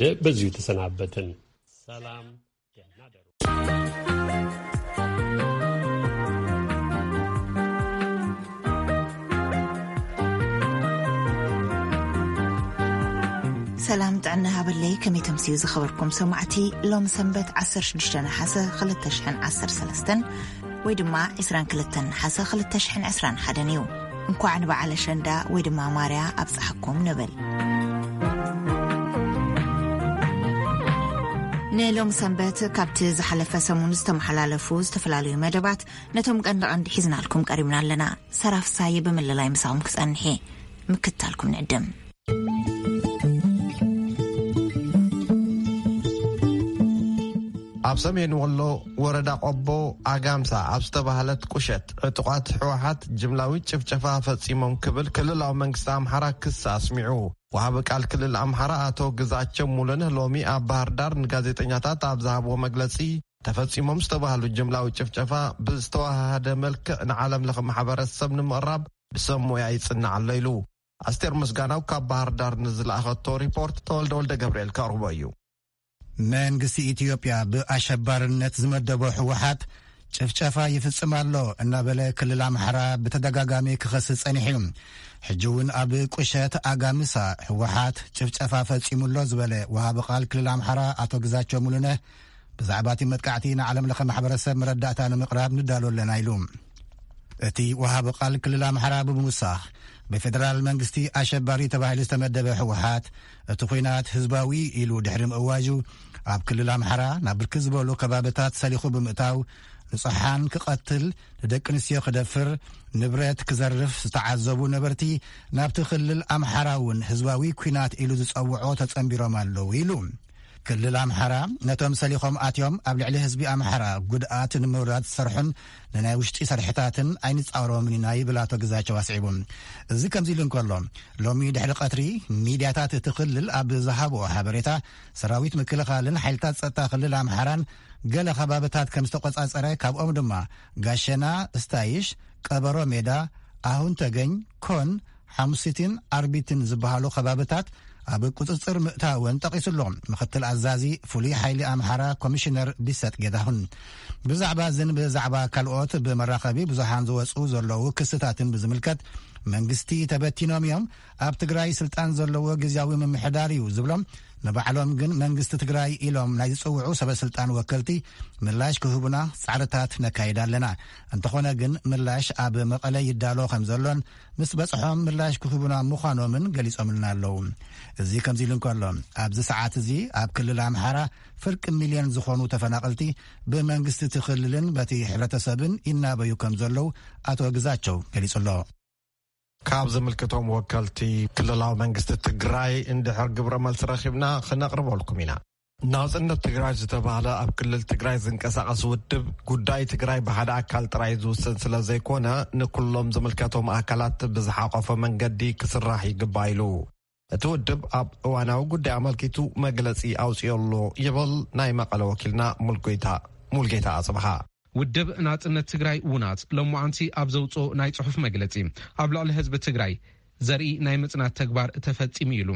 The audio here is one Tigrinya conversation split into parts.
በዚሁ ተሰናበትን። ሰላም፣ ደህና ደሩ። ሰላም ጥዕና ሃበለይ፣ ከመይ ተምስዩ ዝኸበርኩም ሰማዕቲ? ሎም ሰንበት ዓሰርተ ሽዱሽተ ነሓሰ ክልተ ሽሕን ዓሰርተ ሰለስተን ወይ ድማ ዕስራን ክልተን ነሓሰ ክልተ ሽሕን ዕስራን ሓደን እዩ። እንኳዕ ንበዓል ኣሸንዳ ወይ ድማ ማርያ ኣብጽሓኩም ንብል። ንሎም ሰንበት ካብቲ ዝሓለፈ ሰሙን ዝተመሓላለፉ ዝተፈላለዩ መደባት ነቶም ቀንዲ ቀንዲ ሒዝናልኩም ቀሪብና ኣለና። ሰራፍሳይ ብምልላይ ምሳኹም ክጸንሕ እየ። ምክታልኩም ንዕድም። ኣብ ሰሜን ወሎ ወረዳ ቆቦ ኣጋምሳ ኣብ ዝተባህለት ቁሸት ዕጡቓት ህወሓት ጅምላዊ ጭፍጨፋ ፈጺሞም ክብል ክልላዊ መንግስቲ ኣምሓራ ክሲ ኣስሚዑ። ወሃቢ ቃል ክልል ኣምሓራ ኣቶ ግዛቸው ሙሉነህ ሎሚ ኣብ ባህር ዳር ንጋዜጠኛታት ኣብ ዝሃብዎ መግለጺ፣ ተፈጺሞም ዝተባህሉ ጅምላዊ ጭፍጨፋ ብዝተዋሃሃደ መልክዕ ንዓለም ለኸ ማሕበረሰብ ንምቕራብ ብሰብ ሞያ ይጽናዕ ኣሎ ኢሉ። ኣስቴር ምስጋናው ካብ ባህር ዳር ንዝለኣኸቶ ሪፖርት ተወልደ ወልደ ገብርኤል ከቕርቦ እዩ። መንግስቲ ኢትዮጵያ ብኣሸባርነት ዝመደቦ ህወሓት ጭፍጨፋ ይፍጽም ኣሎ እናበለ ክልል ኣምሓራ ብተደጋጋሚ ክኸስስ ጸኒሑ እዩ። ሕጂ እውን ኣብ ቁሸት ኣጋምሳ ህወሓት ጭፍጨፋ ፈጺሙ ኣሎ ዝበለ ወሃቢ ቃል ክልል ኣምሓራ ኣቶ ግዛቸው ሙሉነህ፣ ብዛዕባ እቲ መጥቃዕቲ ንዓለም ለኸ ማሕበረሰብ መረዳእታ ንምቕራብ ንዳሎ ኣለና ኢሉ። እቲ ወሃቢ ቃል ክልል ኣምሓራ ብምውሳኽ፣ ብፌደራል መንግስቲ ኣሸባሪ ተባሂሉ ዝተመደበ ህወሓት እቲ ኲናት ህዝባዊ ኢሉ ድሕሪ ምእዋጁ፣ ኣብ ክልል ኣምሓራ ናብ ብርክት ዝበሉ ከባብታት ሰሊኹ ብምእታው፣ ንጹሓን ክቐትል፣ ንደቂ ኣንስትዮ ክደፍር፣ ንብረት ክዘርፍ ዝተዓዘቡ ነበርቲ፣ ናብቲ ክልል ኣምሓራ እውን ህዝባዊ ኲናት ኢሉ ዝጸውዖ ተጸንቢሮም ኣለዉ ኢሉ። ክልል ኣምሓራ ነቶም ሰሊኾም ኣትዮም ኣብ ልዕሊ ህዝቢ ኣምሓራ ጉድኣት ንምውራድ ዝሰርሑን ንናይ ውሽጢ ሰርሕታትን ኣይንጻወሮምን ኢና ይብል ኣቶ ግዛቸው ኣስዒቡ። እዚ ከምዚ ኢሉ እንከሎ፣ ሎሚ ድሕሪ ቀትሪ ሚድያታት እቲ ክልል ኣብ ዝሃብኦ ሓበሬታ፣ ሰራዊት ምክልኻልን ሓይልታት ጸጥታ ክልል ኣምሓራን ገለ ከባብታት ከም ዝተቆጻጸረ፣ ካብኦም ድማ ጋሸና፣ ስታይሽ፣ ቀበሮ ሜዳ፣ ኣሁን ተገኝ፣ ኮን፣ ሓሙሲትን ኣርቢትን ዝበሃሉ ከባብታት ኣብ ቁጽጽር ምእታወን ጠቒሱ ኣሎ። ምኽትል ኣዛዚ ፍሉይ ሓይሊ ኣምሓራ ኮሚሽነር ቢሰጥ ጌታሁን ብዛዕባ እዝን ብዛዕባ ካልኦት ብመራኸቢ ብዙሓን ዝወጹ ዘለዉ ክስታትን ብዝምልከት፣ መንግስቲ ተበቲኖም እዮም፣ ኣብ ትግራይ ስልጣን ዘለዎ ግዝያዊ ምምሕዳር እዩ ዝብሎም፣ ንባዕሎም ግን መንግስቲ ትግራይ ኢሎም ናይ ዝጽውዑ ሰበ ስልጣን ወከልቲ ምላሽ ክህቡና ጻዕርታት ነካይድ ኣለና። እንተኾነ ግን ምላሽ ኣብ መቐለ ይዳሎ ከም ዘሎን ምስ በጽሖም ምላሽ ክህቡና ምዃኖምን ገሊጾምልና ኣለዉ። እዚ ከምዚ ኢሉ እንከሎ፣ ኣብዚ ሰዓት እዚ ኣብ ክልል ኣምሓራ ፍርቂ ሚልዮን ዝኾኑ ተፈናቐልቲ ብመንግስቲ እቲ ክልልን በቲ ሕብረተሰብን ይናበዩ ከም ዘለዉ ኣቶ ግዛቸው ገሊጹ ኣሎ። ካብ ዝምልከቶም ወከልቲ ክልላዊ መንግስቲ ትግራይ እንድሕር ግብረ መልሲ ረኺብና ክነቕርበልኩም ኢና። ናጽነት ትግራይ ዝተባህለ ኣብ ክልል ትግራይ ዝንቀሳቐስ ውድብ፣ ጉዳይ ትግራይ ብሓደ ኣካል ጥራይ ዝውሰን ስለ ዘይኮነ፣ ንኩሎም ዝምልከቶም ኣካላት ብዝሓቆፈ መንገዲ ክስራሕ ይግባእ ኢሉ። እቲ ውድብ ኣብ እዋናዊ ጉዳይ ኣመልኪቱ መግለጺ ኣውጺኡ ኣሎ ይብል ናይ መቐለ ወኪልና ሙልጌታ፣ ሙልጌታ ኣጽብሃ። ውድብ ናጽነት ትግራይ፣ ውናት፣ ሎማዓንቲ ኣብ ዘውጽኦ ናይ ጽሑፍ መግለጺ፣ ኣብ ልዕሊ ህዝቢ ትግራይ ዘርኢ ናይ ምጽናት ተግባር ተፈጺሙ ኢሉ።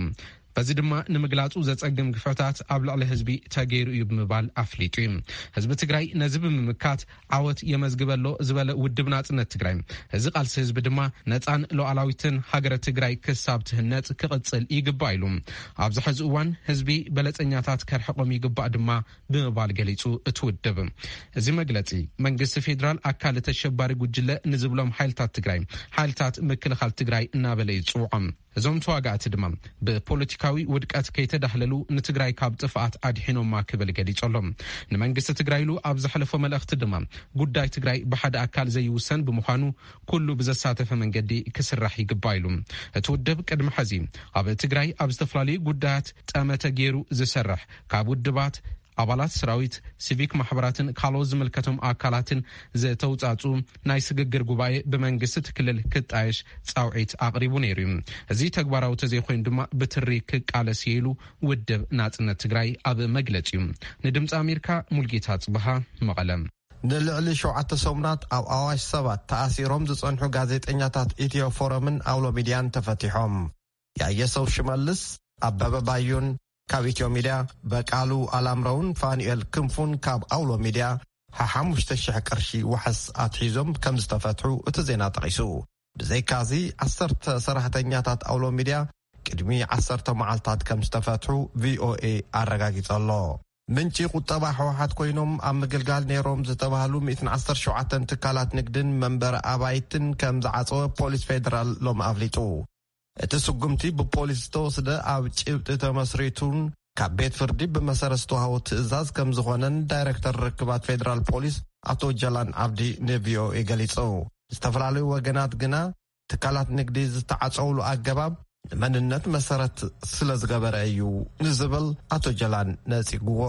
በዚ ድማ ንምግላጹ ዘጸግም ግፍዕታት ኣብ ልዕሊ ህዝቢ ተገይሩ እዩ ብምባል ኣፍሊጡ እዩ። ህዝቢ ትግራይ ነዚ ብምምካት ዓወት የመዝግበ ኣሎ ዝበለ ውድብ ናጽነት ትግራይ፣ እዚ ቃልሲ ህዝቢ ድማ ነጻን ሉዓላዊትን ሃገረ ትግራይ ክሳብ ትህነጽ ክቕጽል ይግባእ ኢሉ። ኣብዚ ሕዚ እዋን ህዝቢ በለጸኛታት ከርሕቖም ይግባእ ድማ ብምባል ገሊጹ። እቲ ውድብ፣ እዚ መግለጺ፣ መንግስቲ ፌዴራል ኣካል ተሸባሪ ጉጅለ ንዝብሎም ሓይልታት ትግራይ፣ ሓይልታት ምክልኻል ትግራይ እናበለ እዩ ዝጽውዖም። እዞም ተዋጋእቲ ድማ ብፖለቲካዊ ውድቀት ከይተዳህለሉ ንትግራይ ካብ ጥፍኣት ኣድሒኖማ ክብል ገሊጹ ኣሎ። ንመንግስቲ ትግራይ ኢሉ ኣብ ዘሕለፎ መልእኽቲ ድማ፣ ጉዳይ ትግራይ ብሓደ ኣካል ዘይውሰን ብምዃኑ ኩሉ ብዘሳተፈ መንገዲ ክስራሕ ይግባእ ኢሉ። እቲ ውድብ ቅድሚ ሕዚ ኣብ ትግራይ ኣብ ዝተፈላለዩ ጉዳያት ጠመተ ገይሩ ዝሰርሕ፣ ካብ ውድባት፣ ኣባላት ሰራዊት፣ ሲቪክ ማሕበራትን ካልኦት ዝምልከቶም ኣካላትን ዝተውጻጹ ናይ ስግግር ጉባኤ ብመንግስቲ እቲ ክልል ክጣየሽ ጻውዒት ኣቕሪቡ ነይሩ እዩ። እዚ ተግባራዊ ተዘይኮይኑ ድማ ብትሪ ክቃለስ እየ ኢሉ ውድብ ናጽነት ትግራይ ኣብ መግለጺኡ። ንድምፂ ኣሜሪካ ሙልጌታ ጽብሃ፣ መቐለ። ንልዕሊ ሸውዓተ ሰሙናት ኣብ ኣዋሽ ሰባት ተኣሲሮም ዝጸንሑ ጋዜጠኛታት ኢትዮ ፎረምን ኣውሎ ሚድያን ተፈቲሖም። ያየሰው ሽመልስ፣ ኣበበ ባዩን ካብ ኢትዮ ሚድያ በቃሉ ኣላምረውን ፋኑኤል ክንፉን ካብ ኣውሎ ሚድያ ሓሓሙሽተ ሽሕ ቅርሺ ዋሕስ ኣትሒዞም ከም ዝተፈትሑ እቲ ዜና ጠቒሱ። ብዘይካዚ ዓሰርተ ሰራሕተኛታት ኣውሎ ሚድያ ቅድሚ ዓሰርተ መዓልታት ከም ዝተፈትሑ ቪኦኤ ኣረጋጊጸ ኣሎ። ምንጪ ቁጠባ ህወሓት ኮይኖም ኣብ ምግልጋል ነይሮም ዝተባህሉ ሚእትን ዓሰርተ ሸውዓተን ትካላት ንግድን መንበሪ ኣባይትን ከም ዝዓጸወ ፖሊስ ፌደራል ሎም ኣፍሊጡ። እቲ ስጉምቲ ብፖሊስ ዝተወስደ ኣብ ጭብጢ ተመስሪቱን ካብ ቤት ፍርዲ ብመሰረት ዝተዋህቦ ትእዛዝ ከም ዝኾነን ዳይሬክተር ርክባት ፌደራል ፖሊስ ኣቶ ጀላን ኣብዲ ንቪኦኤ ገሊጹ። ዝተፈላለዩ ወገናት ግና ትካላት ንግዲ ዝተዓጸውሉ ኣገባብ ንመንነት መሰረት ስለ ዝገበረ እዩ ንዝብል ኣቶ ጀላን ነጺግዎ።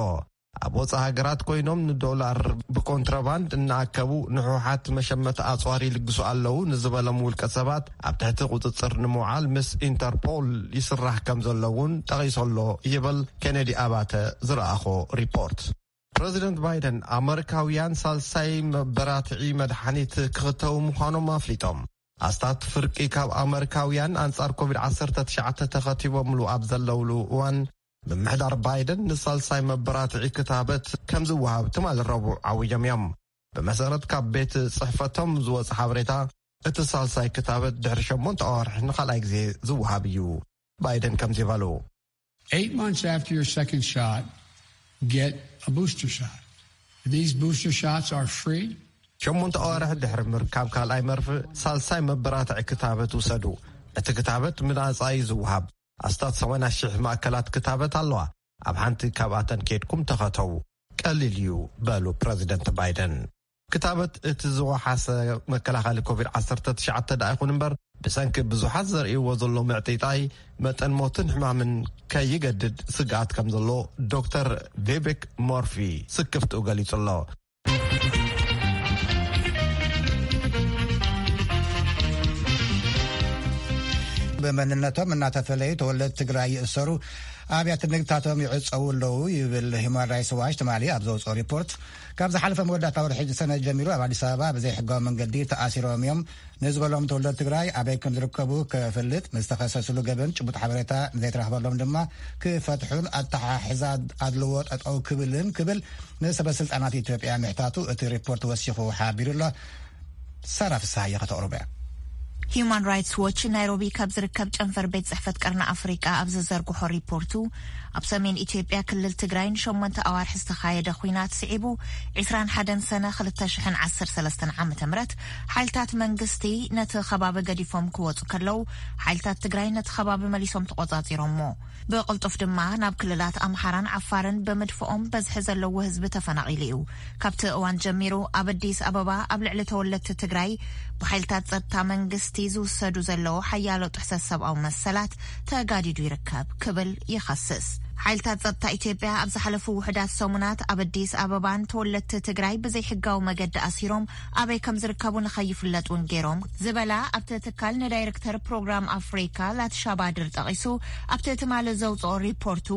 ኣብ ወጻኢ ሃገራት ኮይኖም ንዶላር ብኮንትሮባንድ እናኣከቡ ንሕወሓት መሸመቲ ኣጽዋር ይልግሱ ኣለዉ ንዝበሎም ውልቀ ሰባት ኣብ ትሕቲ ቁጽጽር ንምውዓል ምስ ኢንተርፖል ይስራሕ ከም ዘሎ እውን ጠቒሶ ኣሎ ይብል ኬነዲ ኣባተ ዝረኣኾ ሪፖርት። ፕረዚደንት ባይደን ኣመሪካውያን ሳልሳይ መበራትዒ መድሓኒት ክኽተቡ ምዃኖም ኣፍሊጦም። ኣስታት ፍርቂ ካብ ኣመሪካውያን ኣንጻር ኮቪድ ዓሰርተ ትሽዓተ ተኸቲቦምሉ ኣብ ዘለውሉ እዋን፣ ምምሕዳር ባይደን ንሳልሳይ መበራትዒ ክታበት ከም ዝወሃብ ትማሊ ረቡዕ ዓዊጆም እዮም። ብመሰረት ካብ ቤት ጽሕፈቶም ዝወጸ ሓበሬታ፣ እቲ ሳልሳይ ክታበት ድሕሪ ሸሞንተ ኣዋርሕ ንኻልኣይ ግዜ ዝወሃብ እዩ። ባይደን ከምዚ በሉ። Eight months after your second shot, get a booster shot. These booster shots are free. ሸሞንተ ኣዋርሕ ድሕሪ ምርካብ ካልኣይ መርፍእ ሳልሳይ መበራትዒ ክታበት ውሰዱ። እቲ ክታበት ምናጻ እዩ ዝወሃብ። ኣስታት ሰማንያ ሽሕ ማእከላት ክታበት ኣለዋ። ኣብ ሓንቲ ካብኣተን ኬድኩም ተኸተቡ። ቀሊል እዩ፣ በሉ ፕረዚደንት ባይደን። ክታበት እቲ ዝወሓሰ መከላኸሊ ኮቪድ ዓሰርተ ትሽዓተ ደኣ ይኹን እምበር፣ ብሰንኪ ብዙሓት ዘርእይዎ ዘሎ ምዕጢጣይ፣ መጠን ሞትን ሕማምን ከይገድድ ስግኣት ከም ዘሎ ዶክተር ቪቬክ ሞርፊ ስክፍትኡ ገሊጹ ኣሎ። ብመንነቶም እናተፈለዩ ተወለድቲ ትግራይ ይእሰሩ፣ ኣብያተ ንግድታቶም ይዕጸዉ ኣለዉ ይብል ሂውማን ራይትስ ዋች ትማሊ ኣብ ዘውፅኦ ሪፖርት። ካብ ዝሓለፈ መወዳእታ ወርሒ ሰነ ጀሚሩ ኣብ ኣዲስ ኣበባ ብዘይሕጋዊ መንገዲ ተኣሲሮም እዮም ንዝበሎም ተወለድቲ ትግራይ ኣበይ ከም ዝርከቡ ክፈልጥ፣ ንዝተኸሰስሉ ገበን ጭቡጥ ሓበሬታ ንዘይተረኽበሎም ድማ ክፈትሑን ኣተሓሕዛ ኣድልዎ ጠጠው ክብልን ክብል ንሰበ ስልጣናት ኢትዮጵያ ምሕታቱ እቲ ሪፖርት ወሲኹ ሓቢሩ ኣሎ። ሳራ ፍስሃየ ከተቕርቦ እያ። ሂዩማን ራይትስ ዎች ናይሮቢ ካብ ዝርከብ ጨንፈር ቤት ጽሕፈት ቀርኒ ኣፍሪቃ ኣብ ዝዘርግሖ ሪፖርቱ፣ ኣብ ሰሜን ኢትዮጵያ ክልል ትግራይ ንሸሞንተ ኣዋርሒ ዝተኻየደ ኲናት ስዒቡ፣ ዒስራን ሓደን ሰነ ክልተ ሽሕን ዓሰርተ ሰለስተን ዓመተ ምህረት ሓይልታት መንግስቲ ነቲ ከባቢ ገዲፎም ክወጹ ከለዉ፣ ሓይልታት ትግራይ ነቲ ከባቢ መሊሶም ተቖጻጺሮሞ። ብቕልጡፍ ድማ ናብ ክልላት ኣምሓራን ዓፋርን ብምድፍኦም በዝሒ ዘለዎ ህዝቢ ተፈናቒሉ እዩ። ካብቲ እዋን ጀሚሩ ኣብ ኣዲስ ኣበባ ኣብ ልዕሊ ተወለድቲ ትግራይ ብሓይልታት ጸጥታ መንግስቲ ዝውሰዱ ዘለዉ ሓያሎ ጥሕሰት ሰብኣዊ መሰላት ተጋዲዱ ይርከብ ክብል ይኸስስ። ሓይልታት ጸጥታ ኢትዮጵያ ኣብ ዝሓለፉ ውሑዳት ሰሙናት ኣብ ኣዲስ ኣበባን ተወለድቲ ትግራይ ብዘይሕጋዊ መገዲ ኣሲሮም ኣበይ ከም ዝርከቡ ንኸይፍለጥ እውን ገይሮም ዝበላ ኣብቲ ትካል ንዳይሬክተር ፕሮግራም ኣፍሪካ ላትሻባድር ጠቒሱ ኣብቲ ትማሊ ዘውፅኦ ሪፖርቱ፣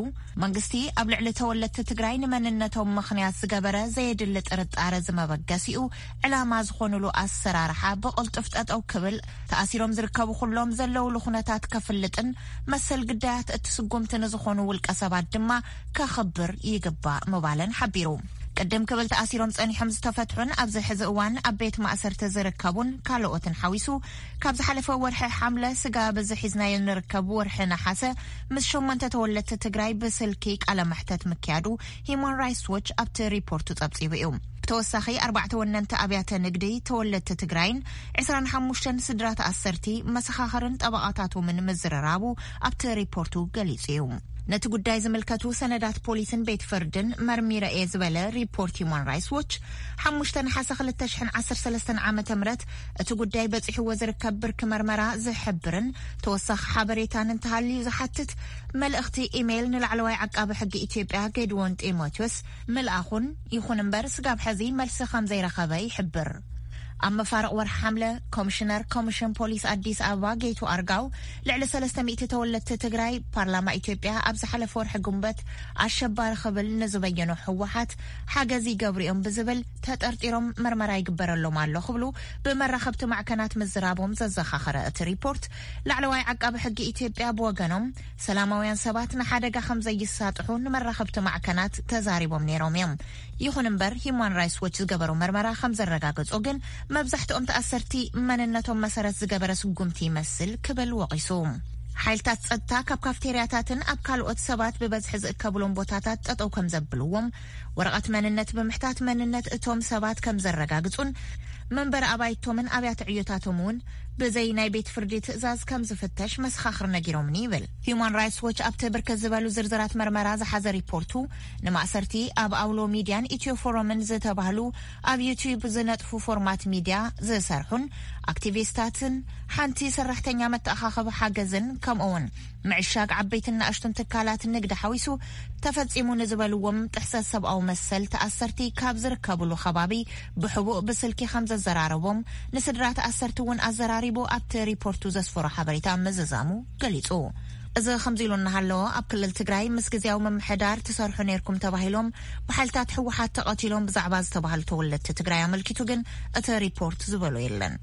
መንግስቲ ኣብ ልዕሊ ተወለድቲ ትግራይ ንመንነቶም ምኽንያት ዝገበረ ዘየድሊ ጥርጣረ ዝመበገሲኡ ዕላማ ዝኾኑሉ ኣሰራርሓ ብቕልጡፍ ጠጠው ክብል፣ ተኣሲሮም ዝርከቡ ኩሎም ዘለውሉ ኩነታት ከፍልጥን መሰል ግዳያት እቲ ስጉምቲ ንዝኾኑ ውልቀ ሰባት ድማ ከኽብር ይግባእ ምባለን ሓቢሩ። ቅድም ክብል ተኣሲሮም ጸኒሖም ዝተፈትሑን ኣብዚ ሕዚ እዋን ኣብ ቤት ማእሰርቲ ዝርከቡን ካልኦትን ሓዊሱ፣ ካብ ዝሓለፈ ወርሒ ሓምለ ስጋብ እዚ ሒዝናዮ ንርከብ ወርሒ ነሓሰ ምስ ሸሞንተ ተወለድቲ ትግራይ ብስልኪ ቃለ መሕተት ምክያዱ ሂዩማን ራይትስ ዎች ኣብቲ ሪፖርቱ ጸብጺቡ እዩ። ብተወሳኺ ኣርባዕተ ወነንቲ ኣብያተ ንግዲ ተወለድቲ ትግራይን ዕስራን ሓሙሽተን ስድራ ተኣሰርቲ መሰኻኽርን ጠበቓታቶምን ምዝርራቡ ኣብቲ ሪፖርቱ ገሊጹ እዩ። ነቲ ጉዳይ ዝምልከቱ ሰነዳት ፖሊስን ቤት ፍርድን መርሚረ እየ ዝበለ ሪፖርት ሂዩማን ራይትስ ዎች፣ ሓሙሽተ ነሓሰ ክልተ ሽሕን ዓሰርተ ሰለስተን ዓመተ ምህረት እቲ ጉዳይ በጺሕዎ ዝርከብ ብርኪ መርመራ ዝሕብርን ተወሳኺ ሓበሬታን እንተሃልዩ ዝሓትት መልእኽቲ ኢሜይል ንላዕለዋይ ዓቃቢ ሕጊ ኢትዮጵያ ጌድዎን ጢሞቴዎስ ምልኣኹን፣ ይኹን እምበር ስጋብ ሕዚ መልሲ ከም ዘይረኸበ ይሕብር። ኣብ መፋርቕ ወርሒ ሓምለ፣ ኮሚሽነር ኮሚሽን ፖሊስ ኣዲስ ኣበባ ጌቱ ኣርጋው፣ ልዕሊ ሰለስተ ሚእቲ ተወለድቲ ትግራይ፣ ፓርላማ ኢትዮጵያ ኣብ ዝሓለፈ ወርሒ ግንቦት ኣሸባሪ ክብል ንዝበየኖ ህወሓት ሓገዝ ይገብሩ እዮም ብዝብል ተጠርጢሮም መርመራ ይግበረሎም ኣሎ ክብሉ ብመራኸብቲ ማዕከናት ምዝራቦም ዘዘኻኸረ እቲ ሪፖርት፣ ላዕለዋይ ዓቃቢ ሕጊ ኢትዮጵያ ብወገኖም፣ ሰላማውያን ሰባት ንሓደጋ ከም ዘይሳጥሑ ንመራኸብቲ ማዕከናት ተዛሪቦም ነይሮም እዮም። ይኹን እምበር፣ ሂዩማን ራይትስ ዎች ዝገበሮ መርመራ ከም ዘረጋገጾ ግን፣ መብዛሕትኦም ተኣሰርቲ መንነቶም መሰረት ዝገበረ ስጉምቲ ይመስል ክብል ወቒሱ። ሓይልታት ጸጥታ ካብ ካፍቴርያታትን ኣብ ካልኦት ሰባት ብበዝሒ ዝእከብሎም ቦታታት ጠጠው ከም ዘብልዎም፣ ወረቐት መንነት ብምሕታት መንነት እቶም ሰባት ከም ዘረጋግጹን መንበሪ ኣባይቶምን ኣብያተ ዕዮታቶም እውን ብዘይ ናይ ቤት ፍርዲ ትእዛዝ ከም ዝፍተሽ መሰኻኽር ነጊሮምኒ ይብል። ሂዩማን ራይትስ ዎች ኣብቲ ብርክት ዝበሉ ዝርዝራት መርመራ ዝሓዘ ሪፖርቱ፣ ንማእሰርቲ ኣብ ኣውሎ ሚድያን ኢትዮ ፎረምን ዝተባህሉ ኣብ ዩቲዩብ ዝነጥፉ ፎርማት ሚድያ ዝሰርሑን ኣክቲቪስታትን፣ ሓንቲ ሰራሕተኛ መተኣኻኸቢ ሓገዝን፣ ከምኡውን ምዕሻግ ዓበይትን ንኣሽቱን ትካላት ንግዲ ሓዊሱ ተፈጺሙ ንዝበልዎም ጥሕሰት ሰብኣዊ መሰል ተኣሰርቲ ካብ ዝርከብሉ ከባቢ ብሕቡእ ብስልኪ ከም ዘዘራረቦም፣ ንስድራ ተኣሰርቲ እውን ኣዘራሪቡ ኣብቲ ሪፖርቱ ዘስፈሮ ሓበሬታ ምዝዛሙ ገሊጹ። እዚ ከምዚ ኢሉ እናሃለወ፣ ኣብ ክልል ትግራይ ምስ ግዝያዊ ምምሕዳር ትሰርሑ ነይርኩም ተባሂሎም ብሓይልታት ህወሓት ተቐቲሎም ብዛዕባ ዝተባህሉ ተወለድቲ ትግራይ ኣመልኪቱ ግን እቲ ሪፖርት ዝበሎ የለን።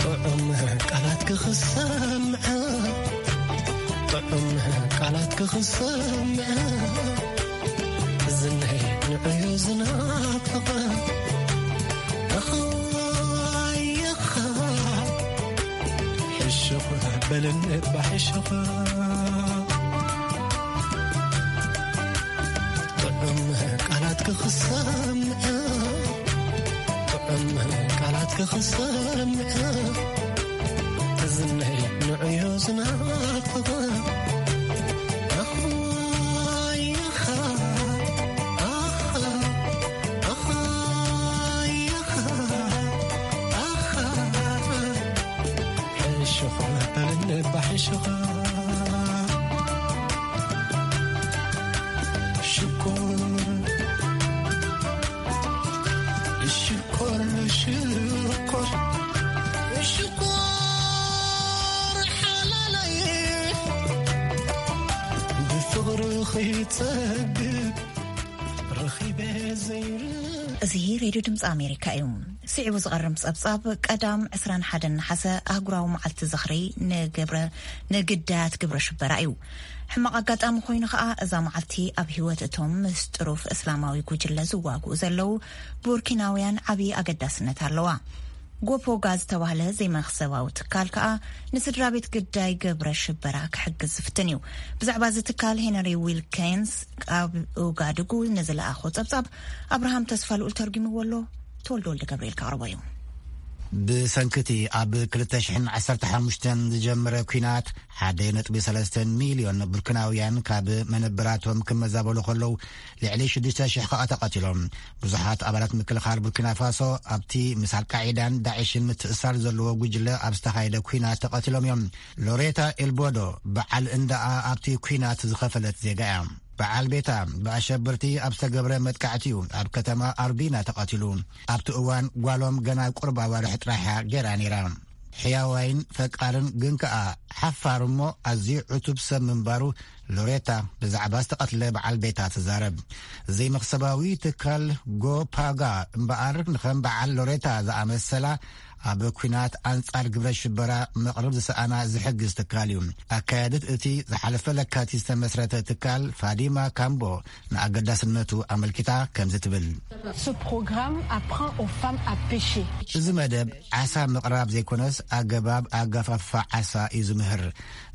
ጥዑም ቃላት ክኽሰምዐ ጥዑም ቃላት ክኽሰምዐ ዝነይ ንዕዮ ዝናፍቐ ኣኻየኻ ሕሽኹ በልን ባሕሽኻ ጥዑም ቃላት ክኽሰምዐ ጥዑም ቃላት ክኽሰምዐ ዝነይ ንዕዮ ዝናፍቐ ኣኻየኻ ኣኻ ኣኻየኻ ኣኻ ሕሽኻ በልን ባሕሽኻ ሽኮር ሽኮር ሽኮር ሽኮር ሓላለይ ብፍቕሪ ኺጸግብ ረኺበ ዘይር እዚ ሬድዮ ድምፂ ኣሜሪካ እዩ። ስዒቡ ዝቐርብ ጸብጻብ ቀዳም ዕስራን ሓደን ነሓሰ ኣህጉራዊ መዓልቲ ዝኽሪ ንግብረ ንግዳያት ግብረ ሽበራ እዩ። ሕማቕ ኣጋጣሚ ኮይኑ ከኣ እዛ መዓልቲ ኣብ ህይወት እቶም ምስ ጥሩፍ እስላማዊ ጉጅለ ዝዋግኡ ዘለዉ ቡርኪናውያን ዓቢ ኣገዳስነት ኣለዋ። ጎፖጋ ዝተባህለ ዘይመኽሰባዊ ትካል ከኣ ንስድራ ቤት ግዳይ ግብረ ሽበራ ክሕግዝ ዝፍትን እዩ። ብዛዕባ እዚ ትካል ሄነሪ ዊልኪንስ ካብ ኡጋድጉ ንዝለኣኾ ጸብጻብ ኣብርሃም ተስፋ ልኡል ተርጉምዎ ኣሎ። ተወልደ ወልደ ገብርኤል ከቕርቦ እዩ። ብሰንክቲ ኣብ ክልተ ሽሕን ዓሰርተ ሓሙሽተን ዝጀመረ ኲናት ሓደ ነጥቢ ሰለስተ ሚልዮን ቡርኪናውያን ካብ መነብራቶም ክመዛበሉ ከለዉ ልዕሊ ሽዱሽተ ሽሕ ከኣ ተቐቲሎም። ብዙሓት ኣባላት ምክልኻል ቡርኪና ፋሶ ኣብቲ ምስ ኣልቃዒዳን ዳዕሽን ምትእሳር ዘለዎ ጉጅለ ኣብ ዝተኻየደ ኲናት ተቐቲሎም እዮም። ሎሬታ ኤልቦዶ በዓል እንዳኣ ኣብቲ ኲናት ዝኸፈለት ዜጋ እያ። በዓል ቤታ ብኣሸበርቲ ኣብ ዝተገብረ መጥቃዕቲ እዩ ኣብ ከተማ ኣርቢና ተቐቲሉ። ኣብቲ እዋን ጓሎም ገና ቁሩብ ኣዋርሕ ጥራሕ እያ ገይራ ነይራ። ሕያዋይን ፈቃርን ግን ከኣ ሓፋር እሞ ኣዝዩ ዕቱብ ሰብ ምንባሩ ሎሬታ ብዛዕባ ዝተቐትለ በዓል ቤታ ትዛረብ። ዘይመኽሰባዊ ትካል ጎፓጋ እምበኣር ንኸም በዓል ሎሬታ ዝኣመሰላ ኣብ ኲናት ኣንጻር ግብረ ሽበራ መቕርብ ዝሰኣና ዝሕግዝ ትካል እዩ። ኣካያድት እቲ ዝሓለፈ ለካቲት ዝተመስረተ ትካል ፋዲማ ካምቦ ንኣገዳስነቱ ኣመልኪታ ከምዚ ትብል። Ce programme apprend aux femmes à pêcher. እዚ መደብ ዓሳ ምቕራብ ዘይኮነስ ኣገባብ ኣጋፋፍፋ ዓሳ እዩ ዝምህር።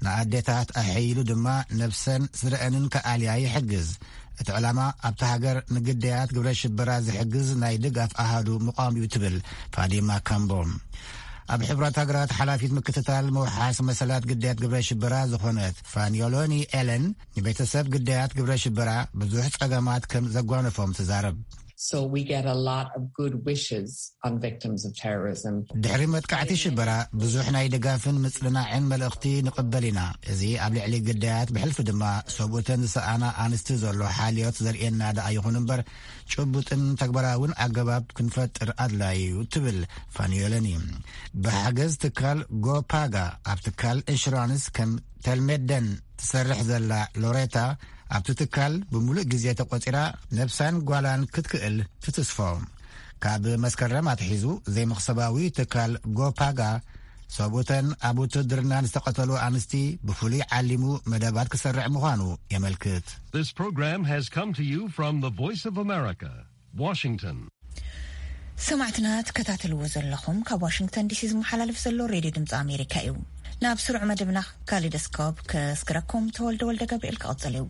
ንኣዴታት ኣሐይሉ ድማ ነብሰን ስድረአንን ከኣልያ ይሕግዝ። እቲ ዕላማ ኣብቲ ሃገር ንግዳያት ግብረ ሽበራ ዝሕግዝ ናይ ድጋፍ ኣሃዱ ምቋም እዩ ትብል ፋዲማ ካምቦ። ኣብ ሕቡራት ሃገራት ሓላፊት ምክትታል ምውሓስ መሰላት ግዳያት ግብረ ሽበራ ዝኾነት ፋኒዮሎኒ ኤለን ንቤተሰብ ግዳያት ግብረ ሽበራ ብዙሕ ጸገማት ከም ዘጓነፎም ትዛረብ። So we get a lot of good wishes on victims of terrorism. ድሕሪ መጥቃዕቲ ሽበራ ብዙሕ ናይ ድጋፍን ምጽንናዕን መልእኽቲ ንቕበል ኢና። እዚ ኣብ ልዕሊ ግዳያት ብሕልፊ ድማ ሰብኡተን ዝሰኣና ኣንስቲ ዘሎ ሓልዮት ዘርእየና ደኣ ይኹን እምበር፣ ጭቡጥን ተግባራውን ኣገባብ ክንፈጥር ኣድላዪ እዩ ትብል ፋኒዮለኒ። ብሓገዝ ትካል ጎፓጋ ኣብ ትካል ኢንሹራንስ ከም ተልሜደን ትሰርሕ ዘላ ሎሬታ፣ ኣብቲ ትካል ብምሉእ ግዜ ተቖጺራ ነብሳን ጓላን ክትክእል ትትስፎ። ካብ መስከረም ኣትሒዙ ዘይመኽሰባዊ ትካል ጎፓጋ ሰብኡተን ኣብ ውትድርና ዝተቐተሉ ኣንስቲ ብፍሉይ ዓሊሙ መደባት ክሰርዕ ምዃኑ የመልክት። This program has come to you from the Voice of America, Washington. ሰማዕትና ትከታተልዎ ዘለኹም ካብ ዋሽንግተን ዲሲ ዝመሓላለፍ ዘሎ ሬድዮ ድምፂ ኣሜሪካ እዩ። ናብ ስሩዕ መደብና ካሊዶስኮፕ ከስግረኩም ተወልደ ወልደ ገብርኤል ክቐጽል እዩ።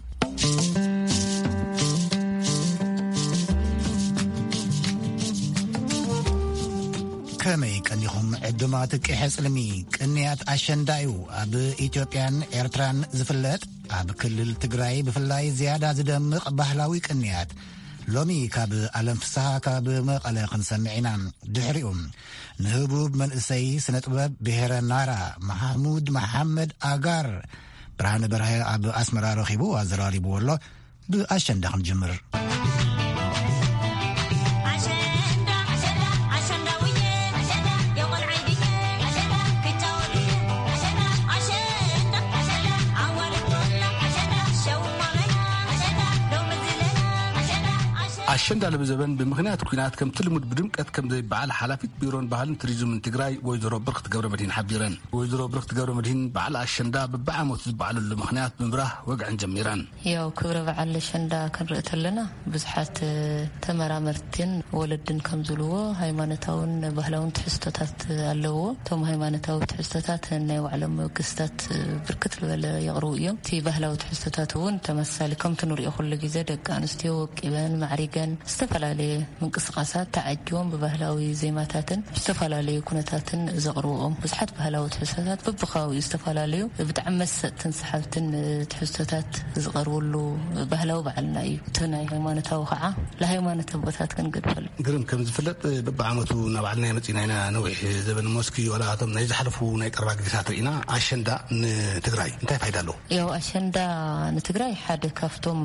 ከመይ ቀኒኹም ዕዱማት ቂሐ ጽልሚ? ቅንያት ኣሸንዳ እዩ ኣብ ኢትዮጵያን ኤርትራን ዝፍለጥ። ኣብ ክልል ትግራይ ብፍላይ ዝያዳ ዝደምቕ ባህላዊ ቅንያት ሎሚ ካብ ኣለም ፍስሃ ካብ መቐለ ክንሰምዕ ኢና። ድሕሪኡ ንህቡብ መንእሰይ ስነ ጥበብ ብሔረ ናራ ማሕሙድ መሓመድ ኣጋር ብርሃነ በርሀ ኣብ ኣስመራ ረኺቡ ኣዘራሪብዎ ኣሎ። ብኣሸንዳ ክንጅምር። ኣሸንዳ ልብዘበን ብምኽንያት ኲናት ከምቲ ልሙድ ብድምቀት ከም ዘይበዓል ሓላፊት ቢሮን ባህልን ቱሪዝምን ትግራይ ወይዘሮ ብርክት ገብረ መድሂን ሓቢረን። ወይዘሮ ብርክት ገብረ መድሂን በዓል ኣሸንዳ በብዓመቱ ዝበዓለሉ ምኽንያት ብምብራህ ወግዐን ጀሚረን። ያው ክብረ በዓል ኣሸንዳ ክንርኢ ተለና ብዙሓት ተመራመርትን ወለድን ከም ዝብልዎ ሃይማኖታውን ባህላውን ትሕዝቶታት ኣለዎ። እቶም ሃይማኖታዊ ትሕዝቶታት ናይ ባዕሎም መበገስታት ብርክት ዝበለ የቕርቡ እዮም። እቲ ባህላዊ ትሕዝቶታት እውን ተመሳሳሊ ከምቲ ንሪኦ ኩሉ ግዜ ደቂ ኣንስትዮ ወቂበን ማዕሪገን ዝተፈላለየ ምንቅስቃሳት ተዓጅቦም ብባህላዊ ዜማታትን ዝተፈላለዩ ኩነታትን ዘቕርብኦም ብዙሓት ባህላዊ ትሕዝቶታት በብከባቢኡ ዝተፈላለዩ ብጣዕሚ መሰጥትን ሰሓብትን ትሕዝቶታት ዝቐርብሉ ባህላዊ በዓልና እዩ። እቲ ናይ ሃይማኖታዊ ከዓ ለሃይማኖት ኣቦታት ክንገድፈሉ። ግርም ከም ዝፍለጥ በብዓመቱ እናባዕልና መፂና ኢና። ነዊሕ ዘበን ሞስኪ ዋላ እቶም ናይ ዝሓለፉ ናይ ቀረባ ግዜታት ርኢና። ኣሸንዳ ንትግራይ እንታይ ፋይዳ ኣለዎ? ያው ኣሸንዳ ንትግራይ ሓደ ካብቶም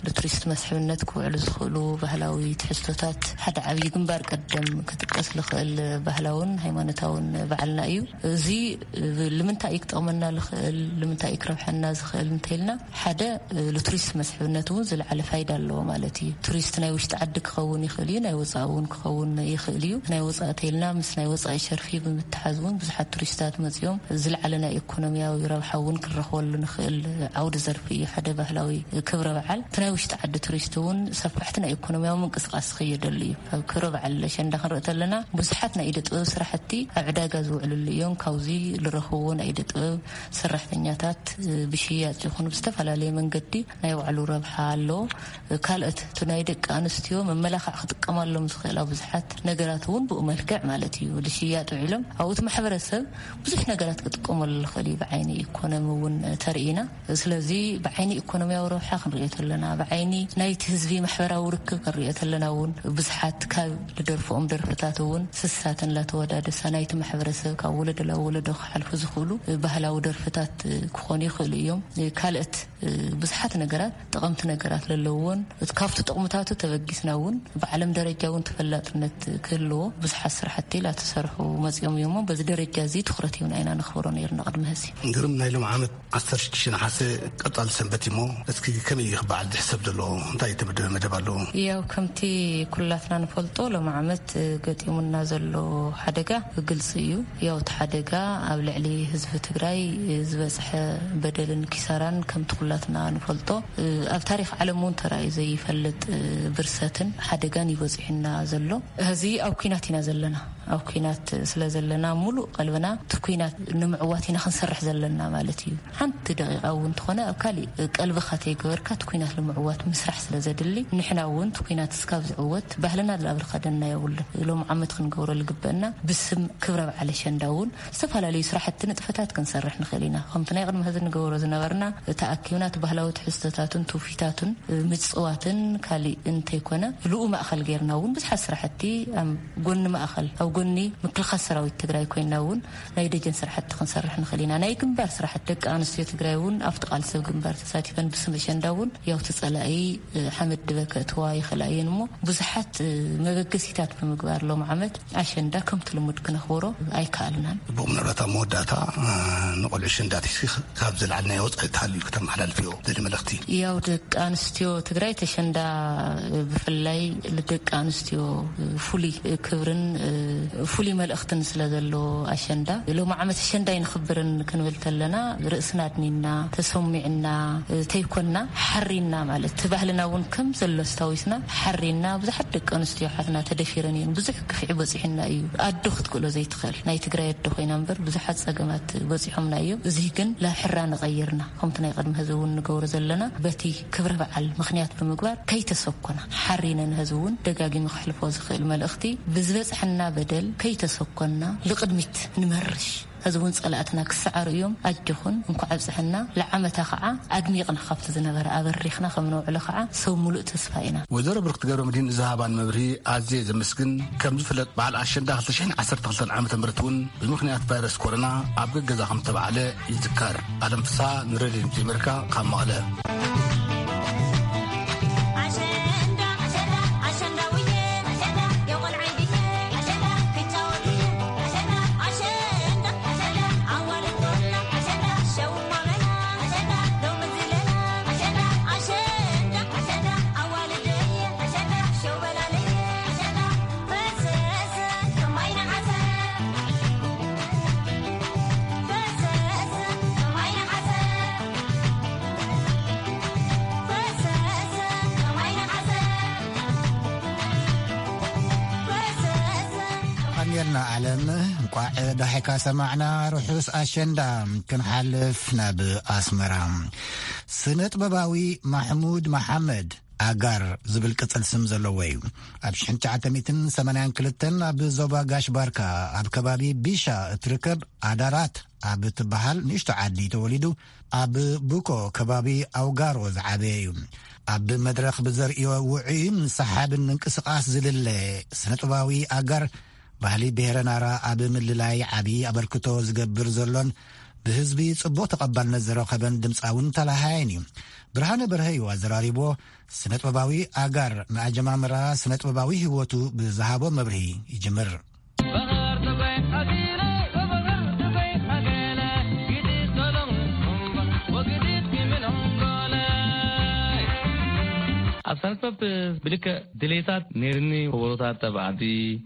ንቱሪስት መስሕብነት ክውዕሉ ዝኽእሉ ባህላዊ ትሕዝቶታት ሓደ ዓብዪ ግንባር ቀደም ክጥቀስ ዝኽእል ባህላውን ሃይማኖታውን በዓልና እዩ። እዚ ልምንታይ እዩ ክጠቕመና ዝኽእል፣ ልምንታይ እዩ ክረብሐና ዝኽእል እንተኢልና ሓደ ንቱሪስት መስሕብነት እውን ዝለዓለ ፋይዳ ኣለዎ ማለት እዩ። ቱሪስት ናይ ውሽጢ ዓዲ ክኸውን ይኽእል እዩ፣ ናይ ወፃኢ እውን ክኸውን ይኽእል እዩ። ናይ ወፃኢ ተይልና ምስ ናይ ወፃኢ ሸርፊ ብምትሓዝ እውን ብዙሓት ቱሪስታት መፂኦም ዝለዓለ ናይ ኢኮኖሚያዊ ረብሓ እውን ክንረኽበሉ ንኽእል ዓውዲ ዘርፊ እዩ። ሓደ ባህላዊ ክብረ በዓል እቲ ናይ ውሽጢ ዓዲ ቱሪስት እውን ሰፋሕቲ ናይ ኢኮኖሚያዊ ምንቅስቃስ ዝኸየደሉ እዩ። ኣብ ክብረ በዓል ኣሸንዳ ክንርኢ ተለና ብዙሓት ናይ ኢደ ጥበብ ስራሕቲ ኣብ ዕዳጋ ዝውዕልሉ እዮም። ካብዚ ዝረኽብዎ ናይ ኢደ ጥበብ ሰራሕተኛታት ብሽያጭ ይኹን ብዝተፈላለየ መንገዲ ናይ ባዕሉ ረብሓ ኣለዎ። ካልኦት እቲ ናይ ደቂ ኣንስትዮ መመላኽዕ ክጥቀማሎም ዝኽእላ ብዙሓት ነገራት እውን ብኡ መልክዕ ማለት እዩ ዝሽያጥ ውዒሎም። ኣብኡ እቲ ማሕበረሰብ ብዙሕ ነገራት ክጥቀመሉ ዝኽእል እዩ። ብዓይኒ ኢኮኖሚ እውን ተርኢና። ስለዚ ብዓይኒ ኢኮኖሚያዊ ረብሓ ክንሪኦ ተለና፣ ብዓይኒ ናይቲ ህዝቢ ማሕበራዊ ርክብ ክንሪኦ ተለና እውን ብዙሓት ካብ ዝደርፍኦም ደርፍታት እውን ስሳት እናተወዳደሳ ናይቲ ማሕበረሰብ ካብ ወለዶ ናብ ወለዶ ክሓልፉ ዝኽእሉ ባህላዊ ደርፍታት ክኾኑ ይኽእሉ እዮም። ካልኦት ብዙሓት ነገራት ጠቐምቲ ነገራት ዘለውዎን እቲ ካብቲ ጥቕምታቱ ተበጊስና እውን ብዓለም ደረጃ እውን ተፈላጥነት ክህልዎ ብዙሓት ስራሕቲ ላተሰርሑ መፂኦም እዮም። በዚ ደረጃ እዚ ትኹረት ሂብና ኢና ነኽብሮ ነይርና ቅድሚ ሕዚ። ግርም ናይ ሎም ዓመት ዓሰርተ ሽዱሽተ ነሓሰ ቀጻሊ ሰንበት እሞ እስኪ ከመይ እዩ ክበዓል ዝሕሰብ ዘሎ? እንታይ የተመደበ መደብ ኣለዎ? ያው ከምቲ ኩላትና ንፈልጦ ሎም ዓመት ገጢሙና ዘሎ ሓደጋ ግልፂ እዩ። ያው እቲ ሓደጋ ኣብ ልዕሊ ህዝቢ ትግራይ ዝበፅሐ በደልን ኪሳራን ከምቲ ኩላትና ንፈልጦ ኣብ ታሪክ ዓለም እውን ተራእዩ ዘይፈልጥ ብርሰትን ሓደጋን እዩ በፂሑና ዘሎ። እዚ ኣብ ኲናት ኢና ዘለና። ኣብ ኲናት ስለ ዘለና ሙሉእ ቀልብና እቲ ኲናት ንምዕዋት ኢና ክንሰርሕ ዘለና ማለት እዩ። ሓንቲ ደቂቃ እውን እንተኾነ ኣብ ካሊእ ቀልብኻ ተይገበርካ እቲ ኲናት ንምዕዋት ምስራሕ ስለ ዘድሊ ንሕና እውን እቲ ኩናት እስካብ ዝዕወት ባህልና ዝላብል ከደና የብሉን። ሎም ዓመት ክንገብሮ ዝግበአና ብስም ክብረ በዓል ኣሸንዳ እውን ዝተፈላለዩ ስራሕቲ ንጥፈታት ክንሰርሕ ንኽእል ኢና። ከምቲ ናይ ቅድሚ ሕዚ ንገብሮ ዝነበርና ተኣኪብና እቲ ባህላዊ ትሕዝቶታትን ትውፊታትን ምፅዋትን ካሊእ እንተይኮነ ብልኡ ማእኸል ጌርና እውን ብዙሓት ስራሕቲ ኣብ ጎኒ ማእኸል ኣብ ጎኒ ምክልኻል ሰራዊት ትግራይ ኮይና እውን ናይ ደጀን ስራሕቲ ክንሰርሕ ንኽእል ኢና። ናይ ግንባር ስራሕቲ ደቂ ኣንስትዮ ትግራይ እውን ኣብቲ ቃልሲ ኣብ ግንባር ተሳቲፈን ብስም ኣሸንዳ እውን ያው እቲ ፀላኢ ሓመድ ድበ ከእትዋ ይኽእላ እየን እሞ ብዙሓት መበገሲታት ብምግባር ሎም ዓመት ኣሸንዳ ከምቲ ልሙድ ክነኽብሮ ኣይከኣልናን። ብኡ ምናልባት ኣብ መወዳእታ ንቆልዑ ኣሸንዳ ቲሲ ካብ ዝለዓል ናይ ወፃኢ ተሃልዩ ከተመሓላልፍዮ ዘለ መልእኽቲ። ያው ደቂ ኣንስትዮ ትግራይ ተሸንዳ ብፍላይ ልደቂ ኣንስትዮ ፍሉይ ክብርን ፍሉይ መልእኽትን ስለ ዘለዎ ኣሸንዳ ሎም ዓመት ኣሸንዳ ይንኽብርን ክንብል ተለና ርእስና ኣድኒና ተሰሚዕና ተይኮና ሓሪና ማለት እቲ ባህልና እውን ከም ዘሎ ኣስታዊስና ሓሪና ብዙሓት ደቂ ኣንስትዮ ሓትና ተደፊረን እየን። ብዙሕ ግፍዒ በፂሑና እዩ። ኣዶ ክትክእሎ ዘይትኽእል ናይ ትግራይ ኣዶ ኮይና እምበር ብዙሓት ፀገማት በፂሖምና እዮም። እዚ ግን ላብ ሕራ ንቐይርና ከምቲ ናይ ቅድሚ ህዚ እውን ንገብሮ ዘለና በቲ ክብረ በዓል ምኽንያት ብምግባር ከይተሰኮና ሓሪነን ህዚ እውን ደጋጊሚ ክሕልፎ ዝኽእል መልእኽቲ ብዝበፅሐና በደል ከይተሰኮና ልቕድሚት ንመርሽ። ሕዚ እውን ጸላእትና ክሰዓሩ እዮም። ኣጆኹን እንኳዕ ኣብጽሐና። ለዓመታ ከዓ ኣድሚቕና ካብቲ ዝነበረ ኣበሪኽና ከም ነውዕሎ ከዓ ሰብ ሙሉእ ተስፋ ኢና። ወይዘሮ ብርክቲ ገብረ መድህን ንዝሃባን መብርሂ ኣዝየ ዘመስግን። ከም ዝፍለጥ በዓል ኣሸንዳ ክልተ ሽሕን ዓሰርተ ክልተን ዓመተ ምህረት እውን ብምኽንያት ቫይረስ ኮሮና ኣብ ገገዛ ከም ዝተባዕለ ይዝከር። ኣለም ፍስሓ ንሬድዮ ድምፂ ኣሜሪካ ካብ መቐለ። ቀንየልና ዓለም፣ እንቋዕ ዳሒካ ሰማዕና። ርሑስ ኣሸንዳ። ክንሓልፍ ናብ ኣስመራ። ስነ ጥበባዊ ማሕሙድ መሓመድ ኣጋር ዝብል ቅጽል ስም ዘለዎ እዩ። ኣብ ሽሕን ትሽዓተ ሚእትን ሰማንያን ክልተን ኣብ ዞባ ጋሽ ባርካ ኣብ ከባቢ ቢሻ እትርከብ ኣዳራት ኣብ እትበሃል ንእሽቶ ዓዲ ተወሊዱ ኣብ ቡኮ ከባቢ ኣውጋሮ ዝዓበየ እዩ። ኣብ መድረኽ ብዘርእዮ ውዑይን ሰሓብን ምንቅስቓስ ዝልለ ስነ ጥበባዊ ኣጋር ባህሊ ብሄረ ናራ ኣብ ምልላይ ዓቢ ኣበርክቶ ዝገብር ዘሎን ብህዝቢ ጽቡቕ ተቐባልነት ዝረኸበን ድምጻውን ተላሃያን እዩ። ብርሃነ በርሀ እዩ ኣዘራሪብዎ። ስነ ጥበባዊ ኣጋር ንኣጀማምራ ስነ ጥበባዊ ህይወቱ ብዝሃቦ መብርሂ ይጅምር። ኣብ ሳንክቶፕ ብልክዕ ድሌታት ነይርኒ። ከበሮታት ኣብ ዓዲ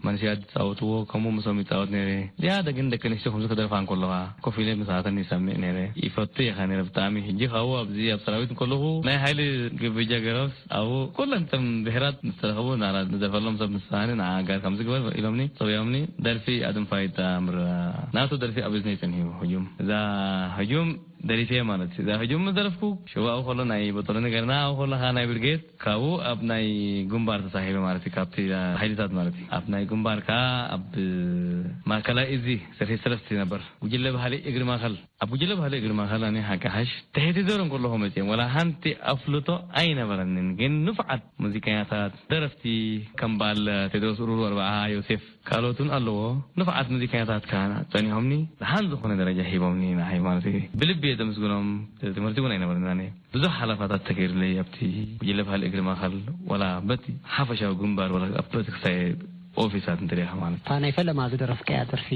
መንሽያት ዝጻወትዎ፣ ከምኡ ምስኦም ይጻወት ነይረ። ዝያዳ ግን ደቂ ኣንስትዮ ከምዚ ክደርፋ እንከለዋ ኮፍ ኢለ ምሳተን ይሰምዕ ነይረ። ይፈቱ ኢኻ ነይረ ብጣዕሚ። ሕጂ ካብኡ ኣብዚ ኣብ ሰራዊት እንከለኹ ናይ ሓይሊ ግብጃ ገረብስ ኣብኡ ኩለን እተን ብሄራት ምስ ተረኸቡ ንዓና ንደርፈሎም ሰብ ምስ ሰኣኒ ንዓ ጋር ከምዚ ግበር ኢሎምኒ፣ ጽውዮምኒ። ደርፊ ኣድንፋይት ኣምር ናቱ ደርፊ ኣብ እዝነይ ጸኒሑ ህጁም። እዛ ህጁም ደሪፈ ማለት እዩ። እዛ ህጁም ምስ ደረፍኩ ሽዋኡ ከሎ ናይ በጦሎኒ ገርና ኣብኡ ከለኻ ናይ ብርጌድ ካብኡ ኣብ ናይ ግንባር ተሳሂበ ማለት እዩ። ካብቲ ሓይልታት ማለት እዩ። ኣብ ናይ ግንባር ከኣ ኣብ ማእከላይ እዚ ሰፊ ሰለስተ ነበር። ጉጅለ ባህሊ እግሪ ማእከል፣ ኣብ ጉጅለ ባህሊ እግሪ ማእከል ኣነ ሓቂ ሓሽ ትሕቲ ዘሮ እንከለኹ መጽኦም ወላ ሓንቲ ኣፍልጦ ኣይነበረንን። ግን ንፉዓት ሙዚቀኛታት፣ ደረፍቲ ከም በዓል ቴድሮስ ኡሩሩ፣ ኣርብዓ ዮሴፍ፣ ካልኦትን ኣለዎ። ንፉዓት ሙዚቀኛታት ከኣ ጸኒሖምኒ፣ ደሓን ዝኾነ ደረጃ ሂቦምኒ ንዓይ ማለት እዩ። ብልቢ እየ ዘመስግኖም። ትምህርቲ እውን ኣይነበረንን ኣነ። ብዙሕ ሓለፋታት ተገይሩለይ ኣብቲ ጉጅለ ባህሊ እግሪ ማእከል፣ ወላ በቲ ሓፈሻዊ ግንባር፣ ወላ ኣብ ፖለቲክሳዊ ኦፊሳት እንተሪኢኻ ማለት። እታ ናይ ፈለማ ዝደረፍካያ ደርፊ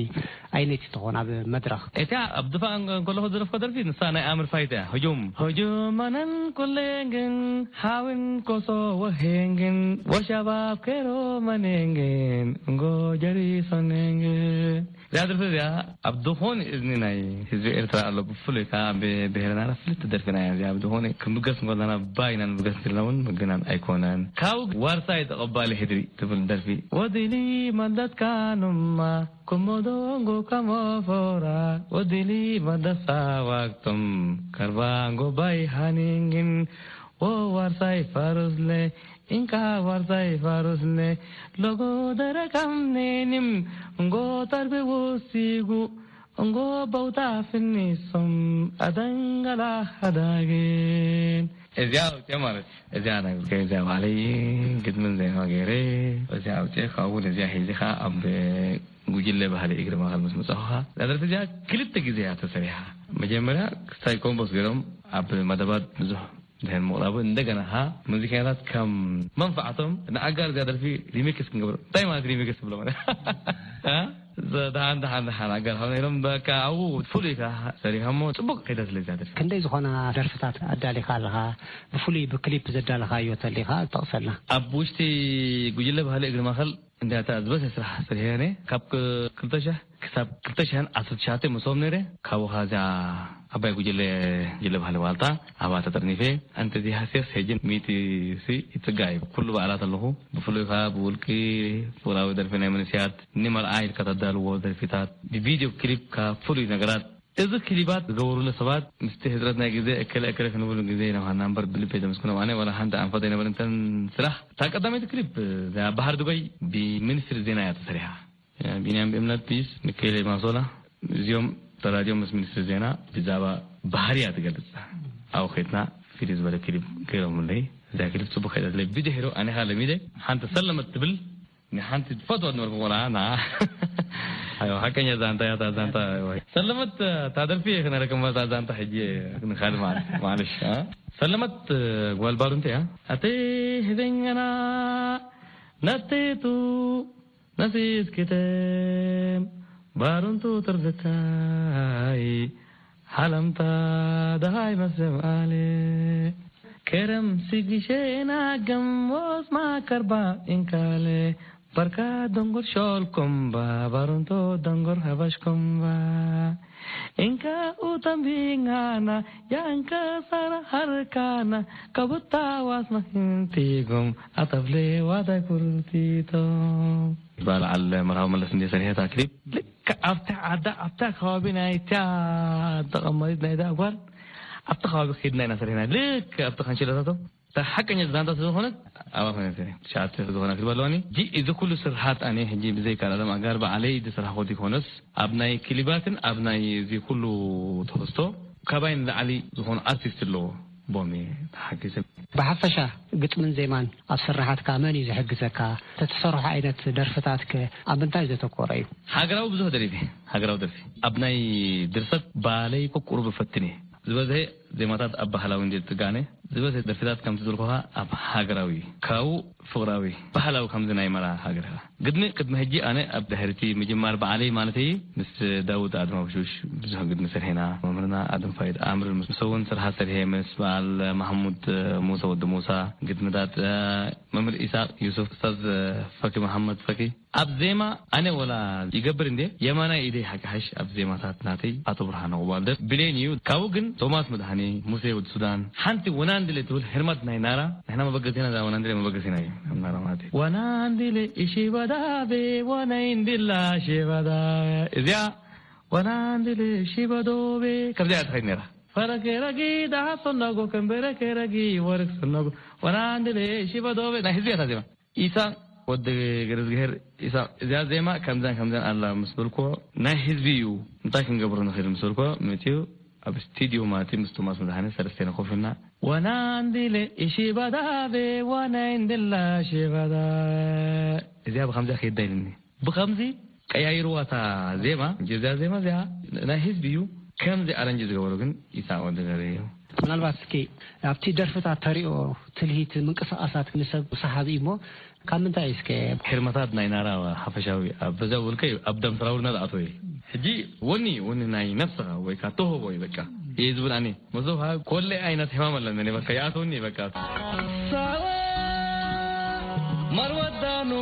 ኣይነይቲ ትኾን ኣብ መድረኽ? እታ ኣብ ድፋዕ እንከ-፣ እንከለኹ ዝደረፍኩ ደርፊ ንሳ ናይ ኣምር ፋይት እያ። ህጁም። ህጁም ኣነን ኩሌንግን ሓዊን ኮሶ ወሄንግን ወሻባብ ኬሮ መኔንግን እንጎ ጀሪሶኔንግን። እዚኣ ደርፊ እዚኣ ኣብ ዝኾነ እዝኒ ናይ ህዝቢ ኤርትራ ኣሎ። ብፍሉይ ከኣ ኣብ ብሄረ ናራ ፍልጥቲ ደርፊና እያ። እዚኣ ብዝኾነ ክንብገስ እንከለና ባይና ንብገስ እንተልና እውን ምግናን ኣይኮነን። ካብኡ ዋርሳይ ተቐባሊ ሕድሪ ትብል ደርፊ። ወዲሊ መደትካ ኑማ ኩሞዶንጎ ከሞፎራ ወዲሊ መደሳ ዋግቶም ከርባንጎ ባይ ሃኒንግን ኦ ዋርሳይ ፋሩስለ፣ እንካ ዋርሳይ ፋሩስለ፣ ሎጎ ደረካም ኔኒም፣ እንጎ ተርቢ ወሲጉ፣ እንጎ በውታ ፍኒሶም፣ ኣደንገላ ሃዳግን። እዚኣ ኣውፅአ ማለት እዚኣ ናይ እዚኣ ባዕለይ ግጥምን ዜማ ገይረ እዚኣ ኣውፅአ ካብኡ ነዚኣ ሒዚ ከዓ ኣብ ጉጅለ ባህሊ እግሪ ማእኸል ምስ መፃኹ ከዓ እዛ ደርፊ እዚኣ ክልተ ግዜ እያ ተሰሪሓ። መጀመርያ ክስታይ ኮምቦስ ገይሮም ኣብ መደባት ብዙሕ ድሕን ምቕራቡ እንደገና ከዓ ሙዚቀኛታት ከም መንፋዕቶም ንኣጋር እዚኣ ደርፊ ሪሚክስ ክንገብሮ። እንታይ ማለት ሪሚክስ ትብሎ ማለት? እ? ደሓን ደሓን ደሓን ኣጋር ሓው ነይሮም በቃ ኣብኡ ፍሉይ ከዓ ሰሪሖሞ። ፅቡቅ ከይዳ ስለ እዚኣ ደርፊ። ክንደይ ዝኾና ደርፍታት ኣዳሊኻ ኣለኻ? ብፍሉይ ብክሊፕ ዘዳለኻዮ ተሊኻ ጠቕሰልና። ኣብ ውሽጢ ጉጅለ ባህሊ እግሪ ማእኸል እንዲያታ ዝበሰ ስራሕ ሰሪሐ ነይረ። ካብ ክልተ ሺሕ ክሳብ ክልተ ሽሕን ዓሰርተ ትሽዓተ ምስኦም ነይረ። ካብኡ ኸዓ እዚኣ ዓባይ ጉጅለ፣ ጉጅለ ባህሊ ዋልታ ኣብኣ ተጠርኒፈ። ኣንተ እዚ ሃስያስ ሕጂ ሚእቲ ሲ ይጽጋዕ እዩ። ኩሉ በዓላት ኣለኹ። ብፍሉይ ኸዓ ብውልቂ ፍቕራዊ ደርፊ ናይ መንእሰያት ንመርዓ ኢልካ ተዳልዎ ደርፊታት፣ ብቪድዮ ክሊፕ ካብ ፍሉይ ነገራት። እዚ ክሊባት ዝገበሩሉ ሰባት ምስቲ ሕጽረት ናይ ግዜ እከለ እከለ ክንብሉ ግዜ ይነውሃና እምበር ብልቢ የመስግኖም። ኣነ ዋላ ሓንቲ ኣንፈት ኣይነበረን እተን ስራሕ። እታ ቀዳመይቲ ክሊፕ እዚኣ ባህር ዱባይ ብሚኒስትሪ ዜና እያ ተሰሪሓ። ቢንያም ብእምነት ፒስ፣ ሚካኤል ማሶላ፣ እዚኦም ተራዲዮም ምስ ሚኒስትሪ ዜና ብዛዕባ ባህርያ ትገልጽ። ኣብኡ ኸድና ፍልይ ዝበለ ክሊፕ ገይሮምለይ። እዛ ክሊፕ ጽቡቕ ከይዳ ስለ ብድሕሪኡ ኣነ ኸኣ ለሚደ ሓንቲ ሰለመት ትብል ንሓንቲ ትፈትዋ ዝነበርኩ ቆልዓ ና። ኣይዋ፣ ሓቀኛ ዛንታ እያ እታ ዛንታ። ኣይዋ። ሰለመት እታ ደርፊ እየ ክነረክብ እታ ዛንታ ሕጂ ንኻልእ መዓልቲ። ማዕለሽ፣ እ? ሰለመት ጓል ባሩንቲ እያ። ኣተይ ህበኛና ነቴቱ ነሲስክተም ባሩንቱ ትርፍታይ ሓለምታ ደሃይ መስም ኣለ ከረም ስግሼና ገሞስ ማከርባ እንካለ በርካ ደንጎር ሾልኮምባ ባሩንቶ ደንጎር ሃባሽኮምባ እንካ ኡተምቢንጋና ያንከ ሳራ ሃርካና ከቡታ ዋስማ ህንቲጎም ኣተብሌ ዋታይ ኩርቲቶም። በዓል መርሃዊ መለስ እንደ ሰሪሐታ ክሊፕ ልክ ኣብታ ዓዳ ኣብታ ከባቢ ናይታ ተቐማሪት ናይታ ጓል ኣብቲ ከባቢ ከይድና ኢና ሰሪሕና። ልክ ኣብቲ ካንሸሎታቶም እታ ሓቀኛ ዛንታ ስለዝኾነት ኣብኣ ኮይነ ሰሪሐ። ትሽዓተ ዝኾና ክሊፕ ኣለዋኒ። ሕጂ እዚ ኩሉ ስርሓት ኣነ ሕጂ ብዘይካ ኣለም ኣጋር ባዕለይ ዝሰራሕኮ ዘይኮነስ ኣብ ናይ ክሊባትን ኣብ ናይ እዚ ኩሉ ትሕዝቶ ካባይ ንላዕሊ ዝኾኑ ኣርቲስት ኣለዎ። ቦም እየ ተሓጊዘ። ብሓፈሻ ግጥምን ዜማን ኣብ ስርሓትካ መን እዩ ዝሕግዘካ? ተትሰርሖ ዓይነት ደርፍታትከ ኣብ ምንታይ ዘተኮረ እዩ? ሃገራዊ ብዙሕ ደሪፈ። ሃገራዊ ደርፊ ኣብ ናይ ድርሰት ባለይ እኮ ቁሩብ እፈትን እየ። ዝበዝሐ ዜማታት ኣብ ባህላዊ እንድየ ዝጥጋነ፣ ዝበዝሐ ደርፍታት ከምቲ ዝበልኩኻ ኣብ ሃገራዊ እዩ። ካብኡ ፍቕራዊ፣ ባህላዊ ከምዚ ናይ መራ ሃገርካ። ግድሚ ቅድሚ ሕጂ ኣነ ኣብ ድሕርቲ ምጅማር በዓለይ ማለተይ ምስ ዳውድ ኣድማውሹሽ ብዙሕ ግድሚ ሰርሔና። መምህርና ኣድም ፋይድ ኣምር ምስ እውን ስርሓ ሰርሔ ምስ በዓል ማሕሙድ ሙሳ ወዲ ሙሳ ግድምታት፣ እ፣ መምህር ኢሳቅ ዩሱፍ፣ ኡስታዝ ፈኪ መሓመድ ፈኪ። ኣብ ዜማ ኣነ ወላ ይገብር እንዴ የማናይ ኢደይ ሓቂ ሓሽ ኣብ ዜማታት ናተይ ኣቶ ብርሃነ ቁባልደር ብሌን እዩ። ካብኡ ግን ቶማስ መድሃኔ፣ ሙሴ ወዲ ሱዳን፣ ሓንቲ ወናንድለ ትብል ህርመት ናይ ናራ፣ ንሕና መበገሲና እዛ ወናንድለ መበገሲና እዩ። ኣብ ናራ ማለት እዩ። ወናንድለ እሺ በዳቤ ወናይ እንድላ ሺ በዳ እዚኣ ወናንድለ እሺ በዶቤ ከምዚኣ እያ ትኸይድ ነይራ። ፈረኬ ረጊ ደሃብ ሰነጎ ከንበረኬ ረጊ ወርቅ ሰነጎ ወናንድለ እሺ በዶቤ ናይ ህዝቢ እያ እታ ዜማ። ኢሳ ወዲ ገረዝግሄር ኢሳ እዚኣ ዜማ ከምዛን ከምዛን ኣላ ምስ በልክዎ ናይ ህዝቢ እዩ፣ እንታይ ክንገብሮ ንኽእል ምስ በልክዎ መፂኡ ኣብ ስቱድዮ ማለት እዩ ምስ ቶማስ መድሃኔ ሰለስቴና ኮፍ ኢልና ወናንዲለ እሺ ባዳቤ ዋናይ እንድላ ሺ ባዳ እዚኣ ብከምዚኣ ከይዳ ኢልኒ። ብከምዚ ቀያይርዋ እታ ዜማ። እዚኣ ዜማ እዚኣ ናይ ህዝቢ እዩ። ከምዚ ኣረንጅ ዝገበሮ ግን ኢሳቅ ወዲ ገሬ እዩ። ምናልባት እስኪ ኣብቲ ደርፍታት ተሪኦ ትልሂት ምንቅስቃሳት ንሰብ ሰሓቢ እዩ እሞ ካብ ምንታይ እስከ? ህርመታት ናይ ናራ ሓፈሻዊ ኣብ በዛ ውልቀ እዩ ኣብ ደም ስራውልና ዝኣተወ እዩ። ሕጂ ወኒ ወኒ ናይ ነፍስኻ ወይ ከዓ ተውህቦ እዩ በቃ እየ ዝብል ኣነ። መሶብ ሃብ ኮለ ዓይነት ሕማም ኣለኒ እኔ በቃ ይኣትወኒ በቃ። ሳዋ ማርወዳኑ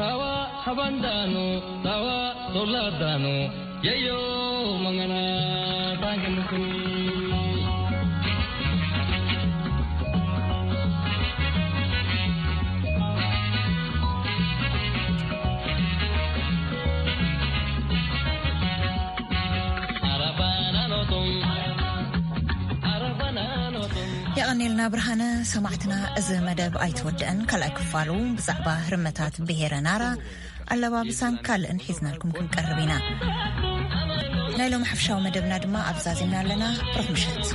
ሳዋ ሃባንዳኑ ሳዋ ሶላዳኑ የዮ መገና ታንክንኩኒ። ኔልና ብርሃነ። ሰማዕትና፣ እዚ መደብ ኣይተወደአን። ካልኣይ ክፋሉ ብዛዕባ ህርመታት ብሄረ ናራ፣ ኣለባብሳን ካልእን ሒዝናልኩም ክንቀርብ ኢና። ናይ ሎም ሓፍሻዊ መደብና ድማ ኣብዛዚምና ኣለና። ብሩኽ ምሸት።